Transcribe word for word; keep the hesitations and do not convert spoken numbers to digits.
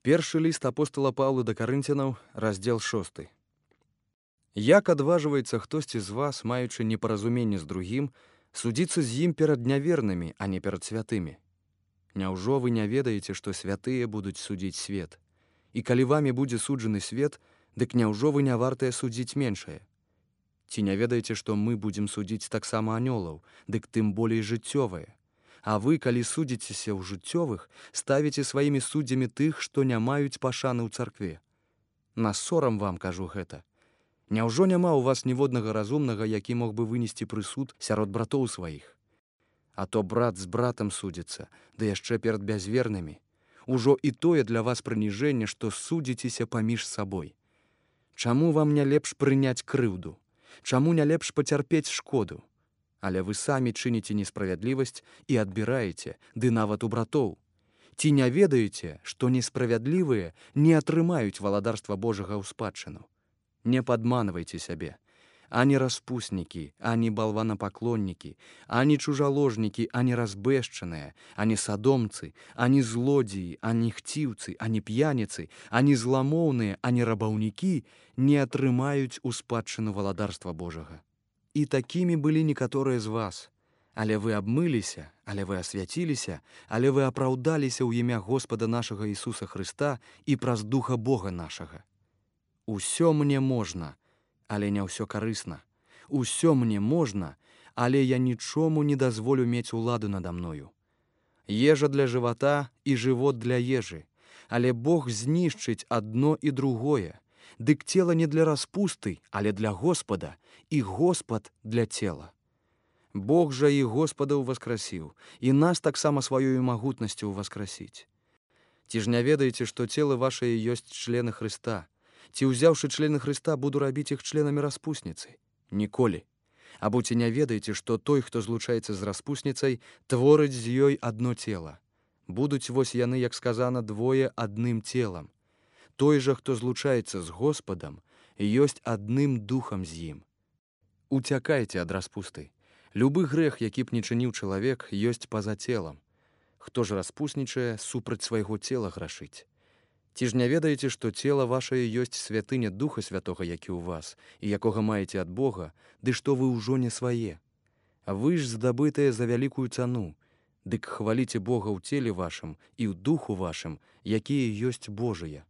Першы ліст апостала Паўла да Карынцянаў, раздзел шосты. Як адважваецца хтосьці з вас, маючы непаразуменне з другім, судзіцца з ім перад нявернымі, а не перад святымі? Няўжо вы не ведаеце, што святыя будуць судзіць свет? І калі вамі будзе суджаны свет, дык няўжо вы не вартыя судзіць меншае? Ці не ведаеце, што мы будзем судзіць таксама анёлаў, дык тым болей жыццёвае? А вы, калі судзіцеся ў жыццёвых, ставіце сваімі суддзямі тых, што не маюць пашаны ў царкве. На сорам вам кажу гэта. Няўжо няма ў вас ніводнага разумнага, які мог бы вынесці прысуд сярод братоў сваіх? А то брат з братам судзіцца, ды яшчэ перад бязвернымі. Ужо і тое для вас прыніжэнне, што судзіцеся паміж сабой. Чаму вам не лепш прыняць крыўду? Чаму не лепш пацярпець шкоду? Але вы самі чыніце несправядлівасць і адбіраеце, ды нават у братоў. Ці не ведаеце, што несправядлівыя не атрымаюць валадарства Божага ў спадчыну? Не падманвайце сябе. Ані распуснікі, ані балванапаклоннікі, ані чужаложнікі, ані разбэшчаныя, ані садомцы, ані злодзеі, ані хціўцы, ані п'яніцы, ані зламоўныя, ані рабаўнікі не атрымаюць у спадчыну валадарства Божага. І такімі былі некаторыя з вас. Але вы абмыліся, але вы асвяціліся, але вы апраўдаліся ў імя Господа нашага Ісуса Хрыста і праз Духа Бога нашага. Усё мне можна, але не ўсё карысна. Усё мне можна, але я нічому не дазволю мець уладу нада мною. Ежа для жывата і жывот для ежы, але Бог знішчыць адно і другое. Дык цела не для распусты, але для Господа, і Господ для цела. Бог жа і Господа ўваскрасіў, і нас таксама сваёю магутнасцю ўваскрасіць. Ці ж не ведаеце, што цела вашае ёсць члены Хрыста? Ці, ўзяўшы члены Хрыста, буду рабіць іх членамі распусніцы? Ніколі. Або ці не ведаеце, што той, хто злучаецца з распусніцай, творыць з ёй адно цела? Будуць вось яны, як сказана, двое адным целам. Той жа, хто злучаецца з Господам, ёсць адным духам з ім. Уцякайце ад распусты. Любы грэх, які б не чыніў чалавек, ёсць па-за целам. Хто ж распуснічае, супраць свайго цела грашыць? Ці ж не ведаеце, што цела вашае ёсць святыня Духа Святога, які ў вас, і якога маеце ад Бога, ды што вы ўжо не свае? А вы ж здабытыя за вялікую цану, дык хваліце Бога ў целе вашым і ў духу вашым, якія ёсць Божыя.